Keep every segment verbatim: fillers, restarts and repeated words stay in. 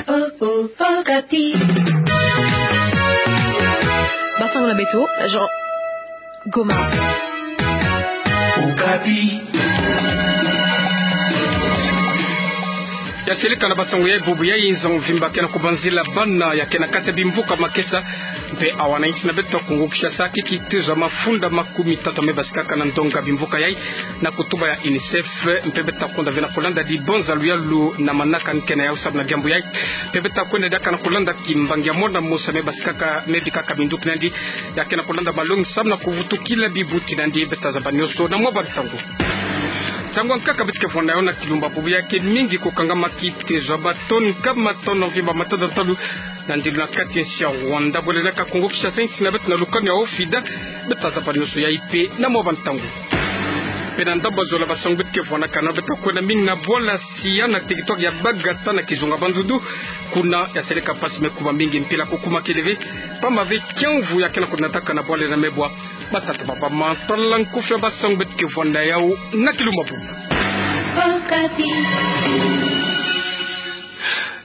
Oh, oh, Okapi. Basango na beto, Jean Goma. Okapi. Ya seleka na basango ya bubu ya nza mvimba ke na kubanzila bana ya ke na kati ya bimvuka Makesa mpe awa na insi na beto Kongo Kinshasa, kiki tezo ya mafunda makumi tatu ya me basikaka na ndonga bimvuka yayi na kutuba ya UNICEF, mpe beto ta kwenda ve na kulanda dibonza luyalu na manaka ni ke na yau sabu na diambu yayi. Mpe beto ta kwenda diaka na kulanda kimbangi ya mwana mosi ya me basikaka, me bikaka minduki na yandi, ya ke na kulanda malongi samu na kuvutukila bibuti na yandi. Beto ta zaba nioso na mwa ba ntangu. Nsangu ya nkaka beto ke vwanda yo na kilumbu ya bubu ya ke mingi kukangama kitezo ya ba tonne kama tona mvimba matada ntalu na ndilu na kati ya insi ya Rwanda, bwele na ka Kongo Kinshasa, insi na beto na lukanu ya Ofida. Beto ta zaba nioso yayi mpe na mwa ba ntangu. Mpe na ndambu ya zola basango beto ke vwanakana, beto ta kwenda mingi na bwala Sia na territoire ya Bagata na kizunga Bandundu. Kuna ya seleka mpasi me kuma mingi, mpila kukuma kele ve, pamba ve kiamvu ya ke na kunatakana bwala ina me bwa. Batata bamama, tala nkufi ya basango beto ke vwanda yau na kilumbu ya bubu.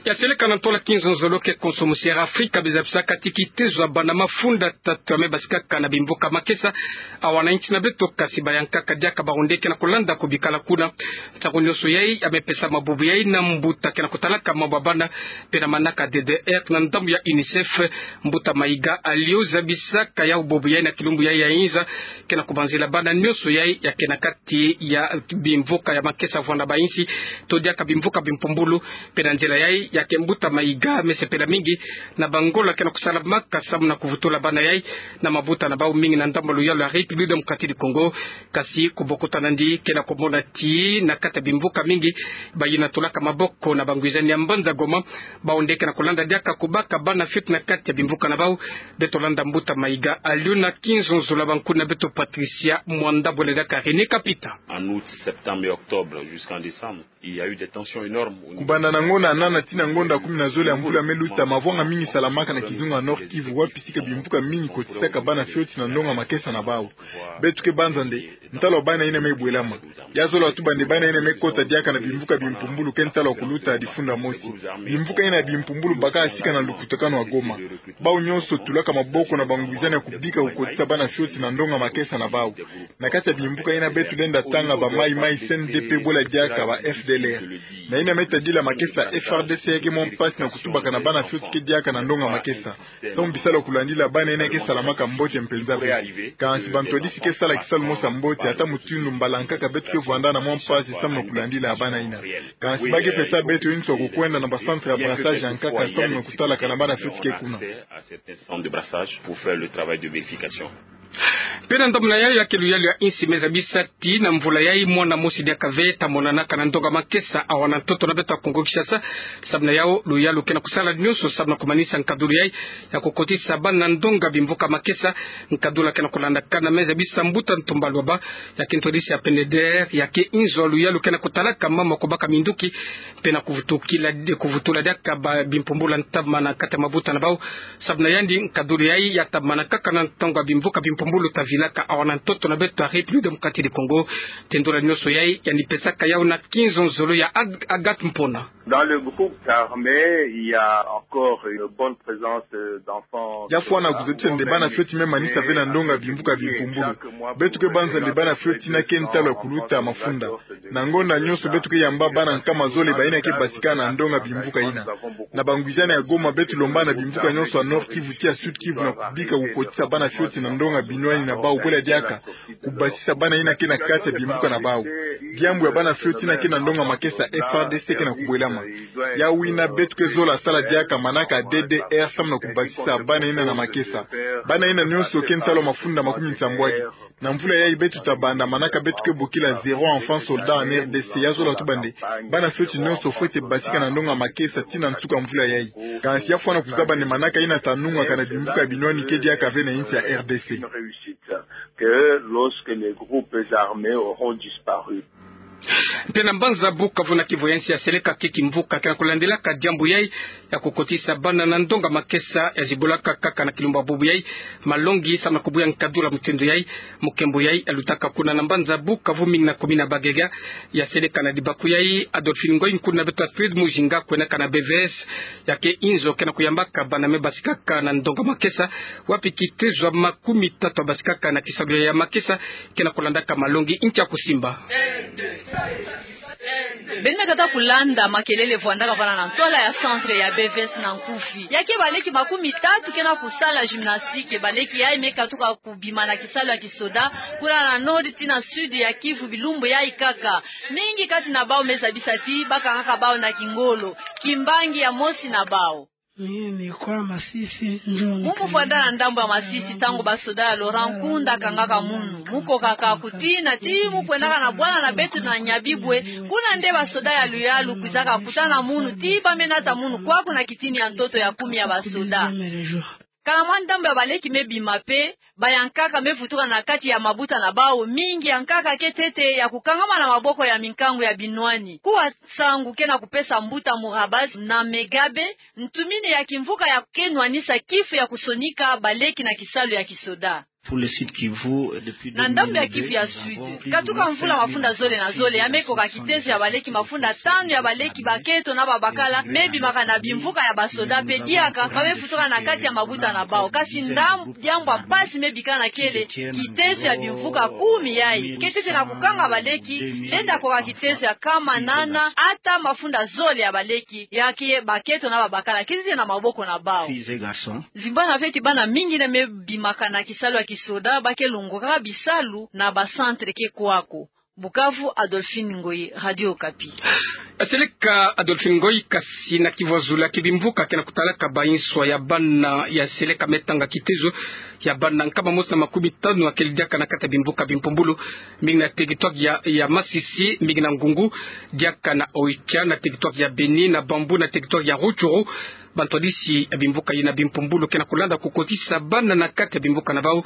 Ya seleka na ntola kinzonzolo ke konso musi Air Afrique me zabisaka ti kitezo ya bana mafunda tatu ya me basikaka na bimvuka Makesa, awa na insi na beto, kasi bayankaka diaka bawu nde ke na kulanda kubikala kuna. Nsangu nioso yayi ya me pesama bubu yayi na mbuta ke na kutalaka mambu ya bana mpe na manaka D D R na ndambu ya UNICEF. Mbuta Maïga Alliot zabisaka yau bubu yayi na kilumbu yayi ya inza, ke na kubanzila bana nioso yayi ya ke na kati ya bimvuka ya Makesa vwanda ba insi, to diaka bimvuka bimpumbulu. Mpe na nzila yayi ya ke mbuta Maïga me sepela mingi na bangola ke na kusalamaka samu na kuvutula bana yayi na mabuta na bawu mingi na ndambu ya luyalu ya République Démocratique du Congo. Kasi kubokuta na yandi, ke na kumona ti na kati ya bimvuka mingi, bayina tulaka maboko na bangwizani ya mbanza Goma, bawu nde ke na kulanda diaka kubaka bana fioti na kati ya bimvuka na bawu. Beto landa mbuta Maïga Alliot na kinzonzolo ya bankuna beto Patricia Mwanda, bwele diaka René Kapita. En août, septembre et octobre, jusqu'en décembre, il y a eu des tensions énormes au niveau. Kubanda na ngonda nana tii na ngonda kumi na zole ya mvula me luta, mavwanga mingi salamaka na kizunga Nord-Kivu, wapi sika bimvuka mingi kotisaka bana fioti na ndonga Makesa na bawu. Beto ke banza nde ntalu ya bana ina me bwelama. Ya zola tuba nde bana ina me kota diaka na bimvuka bimpumbulu ke ntalu ya kuluta ya difunda mosi. Bimvuka ina ya bimpumbulu bakaka sika na lukutakanu ya Goma. Bawu nionso tulaka maboko na bangwizani ya kubika kukotisa bana fioti na ndonga Makesa na bawu. Na kati ya bimvuka ina beto lenda tanga ba Mai Mai, C N D P, bwela diaka ba F D L R. Na ina me tadila Makesa, F R D C ya ke mwa mpasi na kutubaka na bana fioti ke diaka na ndonga Makesa. Samu bisalu ya kulandila bana ina ke salamaka mbote mpenza ve. Kansi bantwadisi ke sala kisalu mosi ya mbote, ata mutindu mbala nkaka beto ke vwanda na mwa mpasi samu na kulandila bana ina. Kansi ba ke pesa beto inzo ya kukwenda na ba centre ya brassage ya nkaka samu na kutalaka na bana fioti ke kuna. Centre de brassage pour faire le travail de vérification. Mpe na ndambu na yayi ya ke luyalu ya insi me zabisa ti na mvula yayi mwana mosi diaka ve ta monanaka na ndonga Makesa awa na ntoto na beto ya Kongo Kinshasa. Samu na yau luyalu ke na kusala nionso samu na kumanisa nkadulu yayi ya kukotisa bana na ndonga bimvuka Makesa. Nkadulu ya ke na kulandakana me zabisa mbuta Ntumba Lwaba, ya ke ntwadisi ya P N D R, ya ke inzo ya luyalu ke na kutalaka mama kubaka minduki mpe na kuvutukila, kuvutula diaka ba bimpumbulu ya ntamana kati ya mabuta na bawu. Samu na yandi, nkadulu yayi ya tamana kaka na ntangu ya bimvuka bimpumbulu ta vilaka awa na ntoto na beto ya République Démocratique du Congo. Tendula nionso yayi yandi pesaka yau na kinzonzolo ya Ag-, Agathe Mpona. Dans le groupe d'armée, il y a encore une bonne présence, euh, d'enfants. Ya fwana kuzatisa nde bana fioti me manisa ve na ndonga bimvuka bimpumbulu. Beto ke banza nde bana fioti ina ke ntalu ya kuluta mafunda. Na ngonda nionso beto ke yamba bana nkama zole bayina ke basika na ndonga bimvuka ina. Na bangwizani ya Goma beto lomba na bimvuka nionso ya Nord-Kivu tii ya Sud-Kivu na kubika kukotisa bana fioti na ndonga binwani na bawu, bwela diaka kubasisa bana ina ke na kati ya bimvuka na bawu. Diambu ya bana fioti ina ke na ndonga Makesa, F R D C ke na kubwelama. Yau ina beto ke zola sala diaka manaka D D R samu na kubasisa bana ina na Makesa. Bana ina nionso ke ntalu ya mafunda makumi nsambwadi. Na mvula yayi beto ta banda manaka beto ke bokila zéro enfant soldat en R D C. Ya zola tuba nde bana fioti nionso fwete basika na ndonga Makesa tii na nsuka mvula yayi. Kansi ya fwana kuzaba nde manaka ina ta nungaka na bimvuka binwani ke diaka ve na insi ya R D C. Que lorsque les groupes armés auront disparu. Mpe na mbanza Bukavu, na kivu ya nsi, ya seleka ke kimvuka ke na kulandilaka diambu yai ya kukotisa bana na ndonga makesa, ya zibolaka kaka na kilumbu bubu yai malongi samu na kubuya nkadula mutindu yai. Mukembo yai ya lutaka kuna na mbanza Bukavu, mingi na commune ya Bagega. Ya seleka na dibaku yai, Adolphine Ngoy, nkuna beto Astrid Mujinga, kwendaka na B V S, ya ke inzo ke na kuyambaka bana me basikaka na ndonga makesa, wapi kitezo ya makumi tatu ya basikaka na kisalu ya makesa ke na kulandaka malongi. Ntia kusimba. Beno me kata kulanda makelele vwandaka vana na ntwala ya centre ya B V S na nkufi. Ya ke baleki makumi tatu ke na kusala gymnastique. Baleki yai me katuka kubima na kisalu ya kisoda, kuna na nord ti na sud ya Kivu, bilumbu yai kaka. Mingi kati na bawu me zabisa ti ba kangaka bawu na kingolo. Kimbangi ya mosi na bawu. Mimi kwa Masisi, njo. Mu mu vwanda na ndambu ya Masisi, ntangu basoda ya Laurent Nkunda kangaka munu, mu kokaka kutina ti mu kwendaka na bwana na beto na Nyabibwe, kuna nde basoda ya luyalu kwizaka kutana munu ti ba me nata munu kwaku na kitini ya ntoto ya kumi ya basoda. Kana mwa ndambu ya baleki me bima mpe, bayankaka me vutuka na kati ya mabuta na bawu, mingi yankaka ke ntete ya kukangama na maboko ya minkangu ya binwani. Kuwa nsangu ke na kupesa mbuta Murabas na Megabe ntumini ya kimvuka ya ke nwanisa kifu ya kusonika baleki na kisalu ya kisoda. Pour le Sud Kivu, euh, depuis deux mille deux, nous avons plus de mille cinq mille enfants. Na ndambu ya Kivu ya Sud, katuka mvula mafunda zole na zole, ya me koka kitezo ya baleki mafunda tanu ya baleki, baketo na babakala, me bimaka na bimvuka ya basoda, mpe diaka ba me vutuka na kati ya mabuta na bawu. Kasi ndambu diambu ya mpasi me bikana kele, kitezo ya bimvuka kumi yai ke ntete na kukanga baleki, lenda koka kitezo ya nkama nana ata mafunda zole ya baleki, ya ke baketo na babakala, ke ntete na maboko na bawu. Filles et garçons. Zimbana feti bana mingi yina me bimaka na kisalu ya kisoda ba ke longokaka bisalu na ba centre ke kwako. Bukavu, Adolphine Ngoyi, Radio Okapi. Ya seleka Adolphine Ngoyi. Kasi na Kivu ya zulu, ya ke bimvuka ke na kutalaka banswa ya bana, ya seleka me tanga kitezo ya bana nkama mosi na makumi tanu ya kele diaka na kati ya bimvuka bimpumbulu, mingi na territoire ya, ya Masisi, mingi na Ngungu, diaka na Oicha, na territoire ya Beni, na Bambou, na territoire ya Rutshuru. Bantwadisi ya bimvuka yina bimpumbulu ke na kulanda kukotisa bana na kati ya bimvuka na bawu.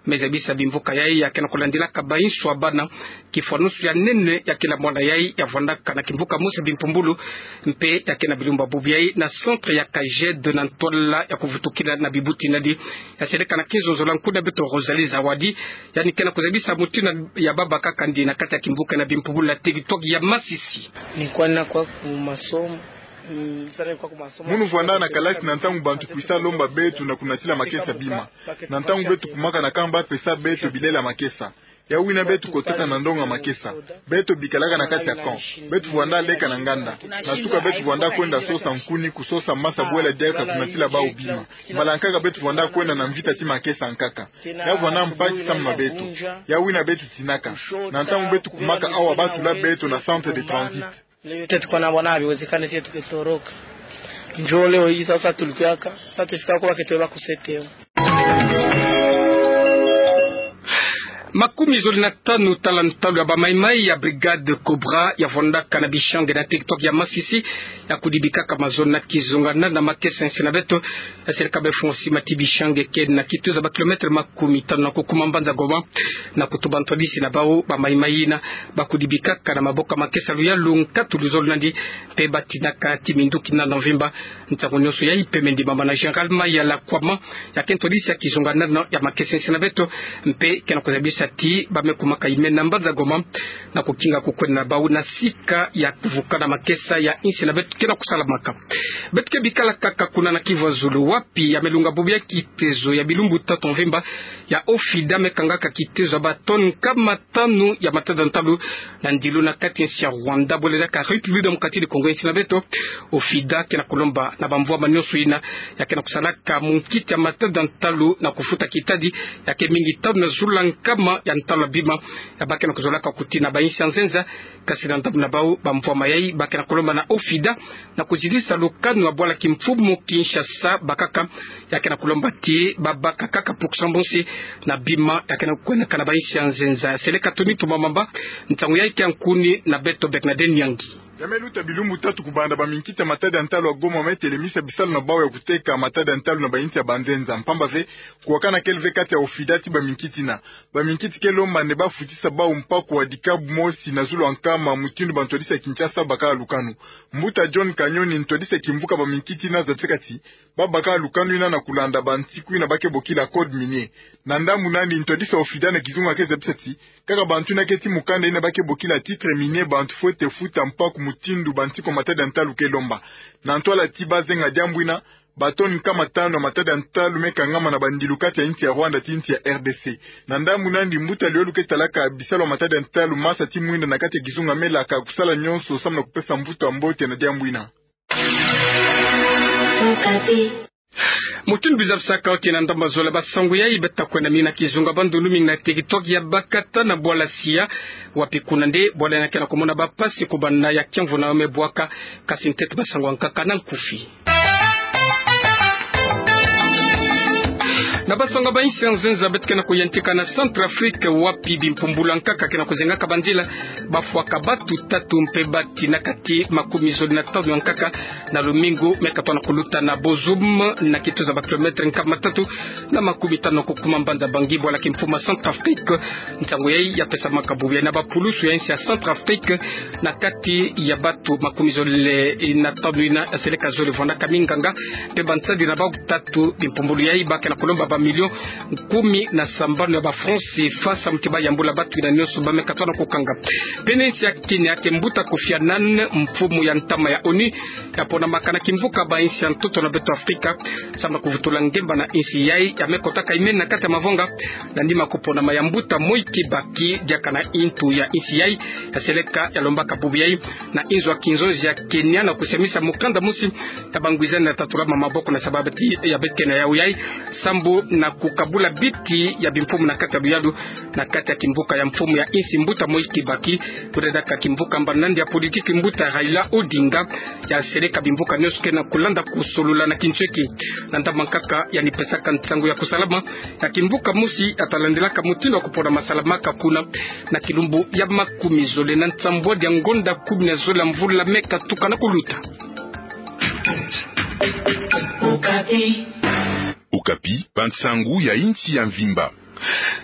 Me zabisa bimvuka yai ya ke na kulandilaka banswa ya bana, kifwanusu ya nene ya kele mwana yai ya vwandaka na kimvuka mosi ya bimpumbulu, mpe ya ke na bilumbu bubu yai na centre ya Kajed na ntwala ya kuvutukila na bibuti nadi. Ya seleka na kinzonzolo ya nkuna beto Rosalie Zawadi, yandi ke na kuzabisa mutindu ya babakaka ndi na kati ya kimvuka na bimpumbulu na territoire ya Masisi. Ni kwenda kwa ku masomo. Mm, sala kwa ku masomo. Munu vwanda na kalasi na ntangu bantu kwisa lomba beto na kunatila makesa bima. Na ntangu beto kumaka na kamba pesa beto bilela makesa. Ya wina beto kotaka na ndonga makesa. Beto bikalaka na kati ya camp. Beto vwanda leka na nganda. Na suka beto vwanda kwenda sosa nkuni, kusosa masa bwela diaka kunatila bawu bima. Mbala nkaka beto vwanda kwenda na mvita ti makesa nkaka. Ya vwanda mpasi samu na beto. Ya wina beto tinaka. Na ntangu beto kumaka awa ba tula beto na centre de transit. Leo yote tuko na bwana, haiwezekani sisi tukitoroka. Njo leo hii sasa tulikiaka, sasa tufika kwa keto ba kusete. Makumi zole na tanu tala ntalu ya ba maimai ya Brigade Cobra ya vwandaka na Bishange na territoire ya Masisi, ya kudibikaka mazono na kizongana na makesa ya nsi na beto. Ya seleka be fungwa sima ti Bishange ke na kitezo ya ba kilomètre makumi tanu na kukuma mbanza Goma, na kutuba ntwadisi na bawu ba maimai yina ba kudibikaka na maboko ya makesa luyalu nkatu luzolo nandi, mpe ba tinaka ti minduki na mvimba. Ntangu nionso yai pembe ndimama na Général Mayala Kwama, ya ke ntwadisi ya kizonganano ya makesa ya nsi na beto, mpe ke na kuzabisa ti ba me kumaka yime na mbanza Goma, na kukinga kukwenda na bawu na sika ya kuvukana makesa ya nsi na beto ke na kusalamaka. Beto ke bikala kaka kuna na Kivu ya zulu, wapi ya me lunga bubu ya kitezo ya bilumbu tatu mvimba ya OFIDA me kangaka kitezo ya ba tonnes nkama tanu ya matada ntalu na ndilu na kati ya nsi ya Rwanda bwela diaka République démocratique du Congo ya nsi na beto. OFIDA ke na kulomba na bamvwama nionso yina ya ke na kusalaka munkiti ya matada ntalu na kufuta kitadi ya ke mingi tanu na zula nkama ya ntalu ya bima ya ba ke na kuzolaka kuti na ba nsi ya nzenza. Kasi na ndambu na bawu bamvwama yai ba ke na kulomba na OFIDA na kuzidisa lukanu ya bwala kimfumu Kinshasa bakaka, ya ke na kulomba ti ba baka kaka puksa mbosi na bima ya ke na kwendaka na ba nsi ya nzenza. Seleka Tony Tumamamba, ntangu yai ke ya nkuni na beto Bernadette Nyangi. Ya me luta bilumbu tatu kubanda, baminkiti ya matadi ya ntalu ya Goma me telemisa bisalu na bau ya kuteka matadi ya ntalu na bainsi ya banzenza. Mpamba ve, kuwakanakele ve kati ya OFIDA ti baminkiti yina. Baminkiti ke lomba nde bafutisa bau mpaku wa dikabu mosi na zulu ya nkama, mutindu bantwadisi ya Kinshasa babaka lukanu. Mbuta John Kanyoni, ntwadisi ya kimvuka baminkiti yina, zabisaka ti babaka lukanu yina na kulanda bansiku yina ba ke bokila code minier. Na ndambu nandi, ntwadisi ya OFIDA na kizunga ke zabisa ti kaka bantu yina ke ti mukanda yina ba ke bokila titre minier, bantu fwete futa mpaku mutindu bansiku ya matadi ya ntalu ke lomba. Na ntwala ti bazenga diambu yina, batoni nkama tanu ya matadi ya ntalu me kangama na bandilu kati ya insi ya Rwanda ti insi ya RDC. Na ndambu nandi, mbuta Liolu ke talaka bisalu ya matadi ya ntalu, masa ti mwinda na kati ya kizunga, me laka kusala nyonso samu na kupesa mvutu ya mbote na diambu yina. Mutindu bizabisaka, oke, na ndambu ya zole, basangu yayi beta kwenda mingi na kizunga bandundu mingi na territoire ya Bakata na bwala Sia, wapi kuna nde bwala yina ke na kumona bampasi kubanda ya kiamvu na yo me bwaka. Kasi ntete basangu ya nkaka na nkufi. Na basangu ya bainsi ya nzenza beta ke na kuyantika na Centrafrique, wapi bimpumbulu ya nkaka ke na kuzengaka bandila, bafwaka batu tatu mpe bati na kati makumi zole na tanu ya nkaka na lumingu me katona kuluta na Bozoum, na kituza ba kilomètre nkama tatu na makumi tanu na kukuma mbanza Bangui, bwala kimfumu ya Centrafrique. Nsangu yayi ya pesamaka bubu yayi na bapulusu ya insi ya Centrafrique, na kati ya batu makumi zole na tanu yina, seleka zole vwandaka minganga mpe bansadi na bau tatu. Bimpumbulu yayi ba ke na kulomba ba millions kumi na sambanu ya ba francs CFA samu ti bayambula batu yina nyonso ba me katona kukanga. Pene insi ya Kenya, ke mbuta Kofi Annan, mfumu ya ntama ya ONU, ya ponamaka na kimvuka bainsi ya ntoto na beto Afrika samu na kuvutula ngemba na insi yayi ya me kotaka imeni na kati ya mavonga, na nima kuponama ya mbuta Moi Kibaki, diaka na intu ya insi yayi ya seleka ya lombaka bubu yayi na inzo ya kinzonzi ya Kenya na kusemisa mukanda mosi ya bangwizani na tatulama maboko na sababu ti ya bete na yau yayi, sambu na kukabula biti ya bimfumu na kati ya luyalu na kati ya kimvuka ya mfumu ya insi mbuta Moi Kibaki, kuredaka kimvuka mbana nandi ya politiki mbuta Raila Odinga, ya seleka bimvuka nyonso ke na kulanda kusolula na kintweki. Na ndambu ya nkaka yandi pesaka nsangu ya kusalama ya kimvuka mosi ya talandilaka mutindu ya kupona masalamaka kuna na kilumbu ya makumi zole na nsambwadi ya ngonda kumi na zole ya mvula me katuka na kuluta. Okapi, bansangu ya insi ya mvimba.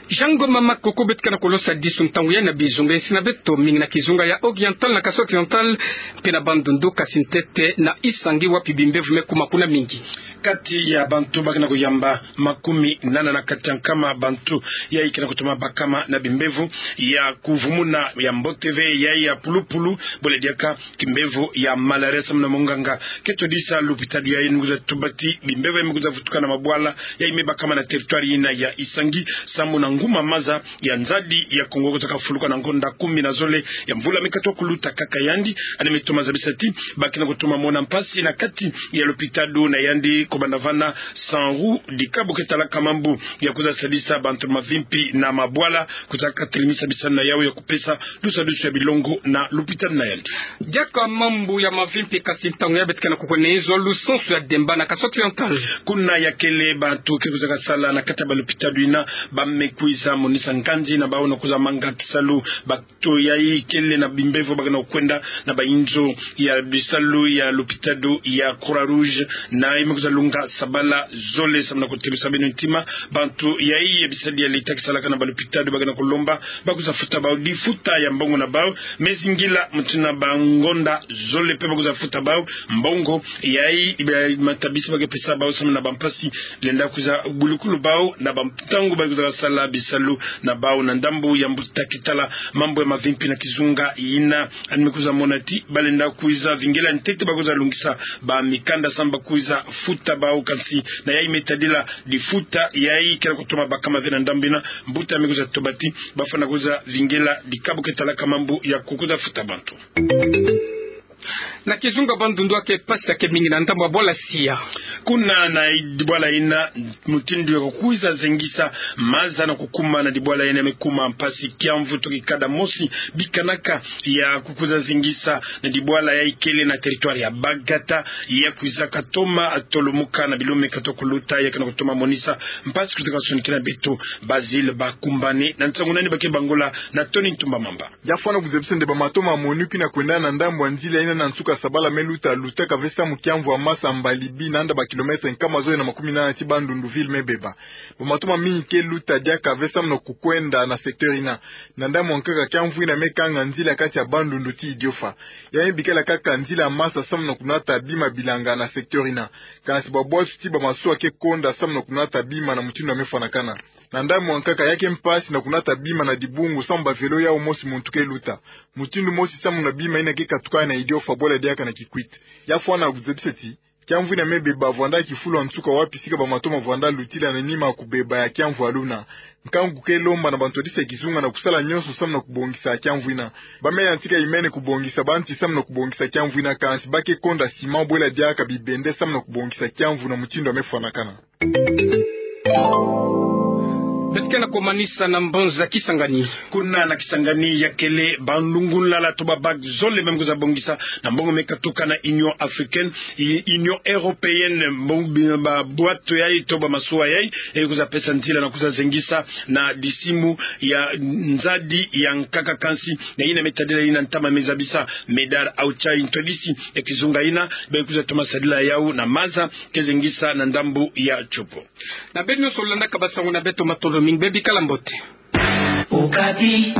Jean Ngoma Makoko beto ke na kolosa disu ntangu yayi na bizunga insi na beto mingi na kizunga ya Oriental, na Kasai Oriental, mpe na Bandundu, kasi ntete na Isangi wapi bimbevo me kuma kuna mingi. Kati ya bantu ba ke na kuyamba, makumi nana na kati ya nkama bantu yayi ke na kutoma bakama na bimbevo ya kuvumuna ya mbote ve yayi ya pulupulu, bole diaka kimbevo ya malaria samu na monganga ke twadisa lupitalu yayi ni kwiza tuba ti bimbevo yayi me kwiza vutuka na mabwala yayi me bakama na territoire yina ya Isangi, samu na nguma maza ya nzadi ya Kongo kwizaka fuluka na ngonda kumi na zole ya mvula me katuka kuluta. Kaka yandi, yandi me toma zabisa ti ba ke na kutoma mona mpasi na kati ya lupitalu na yandi, kubanda vana SANRU, dikabu ke talaka mambu ya kwiza sadisa bantu mavimpi na mabwala, kwizaka telemisa bisalu na yau ya kupesa dusadusu ya bilongo na lupitalu na yandi. Diaka mambu ya mavimpi, kasi ntangu yayi beto ke na kukwenda na inzo lusansu ya Demba na Kasai Oriental. Kuna ya kele bantu ke kwizaka sala na kati ya balupitalu yina ba me kwiza monisa nganzi na bau na kwiza manga kisalu. Bato yayi kele na bimbevo ba ke na kwenda na bainzo ya bisalu ya lupitalu ya Croix Rouge, na yayi me kwiza lunga sabala zole. Samu na kutebisa beno ntima, bantu yayi ya bisadi ya leta ke salaka na balupitalu ba ke na kulomba ba kwiza futa bau difuta ya mbongo na bau, me zingila mutu na bangonda zole mpe ba kwiza futa bau mbongo yayi ba matabisi ba ke pesa bau samu na bampasi lenda kwiza bulukulu bau na bantangu ba kwizaka sala bisalu na bau. Na ndambu ya mbuta ke tala mambu ya mavimpi na kizunga yina, yandi me kwiza mona ti ba lenda kwiza vingila ntete ba kwiza lungisa bamikanda samu ba kwiza futa bau, kasi na yayi me tadila difuta yayi ke na kutoma bakama ve. Na ndambu yina, mbuta me kwiza tuba ti ba fwana kwiza vingila dikabu ke talaka mambu ya kukwiza futa bantu. Na kizunga Bandundu ake mpasi ake mingi na ndambu ya bwala Sia. Kuna na dibwala ina, mutindu ya kukwiza zengisa maza na kukuma na dibwala ina me kuma mpasi. Kiamvu toki kada mosi bikanaka ya kukwiza zengisa na dibwala ya ikele na territoire ya Bagata, ya kwizaka toma tolumuka na bilumbu me katoka kuluta, ya ke na kutoma monisa mpasi. Kwizaka sonikina beto Basile Bakumbane na nsangu nani ba ke bangula na Tony Ntumba Mamba. Ya fwana kuzebisa nde ba matoma monuki na kwenda na ndambu ya nzila ina na nsuka sabala me luta, lutaka ve samu kiamvu ya masa mbali bi na nda ba kilomètre nkama zole na makumi nana ti Bandundu ville me beba. Ba matoma mingi ke luta diaka ve samu na kukwenda na secteur ina. Na ndambu ya nkaka, kiamvu ina me kanga nzila kati ya Bandundu ti Idiofa. Ya me bikala kaka nzila ya masa samu na kunata bima bilanga na secteur ina. Kansi ba bwatu ti ba masuwa ke konda samu na kunata bima na mutindu ya me fwanakana. Na ndambu ya nkaka, ya ke mpasi na kunata bima na dibungu samu ba vélo yau mosi muntu ke luta. Mutindu mosi samu na bima ina ke katukana na Idiofa bwela diaka na Kikwit. Ya fwana kuzebisa ti kiamvu ina me beba vwanda kifulu ya nsuka wapi sika ba matoma vwanda lutila na nima ya kubeba ya kiamvu ya luna. Nkangu ke lomba na bantwadisi ya kizunga na kusala nyonso samu na kubongisa kiamvu ina. Ba me yantika imene kubongisa banti samu na kubongisa kiamvu ina, kansi ba ke konda sima bwela diaka bibende samu na kubongisa kiamvu na mutindu ya me fwanakana. Beto ke na komanisa na mbanza Kisangani. Kuna na Kisangani ya kele banlungunlala to ba bac zole me kwiza bongisa na mbongo me katuka na Union Africaine, i-, Union Européenne, mbongo bi-, ba bwatu yai to ba masuwa yai, e kwiza pesa nzila na kwiza zengisa na disimu ya nzadi ya nkaka, kansi na ina me tadila ina ntama me zabisa Medard Auchai, ntwadisi ya kizunga ina, be kwiza toma sadila yau na maza ke zengisa na ndambu ya Tshopo. Na beno nyonso landaka ba sango na beto, matondo mingi, be bikala mbote. Okapi.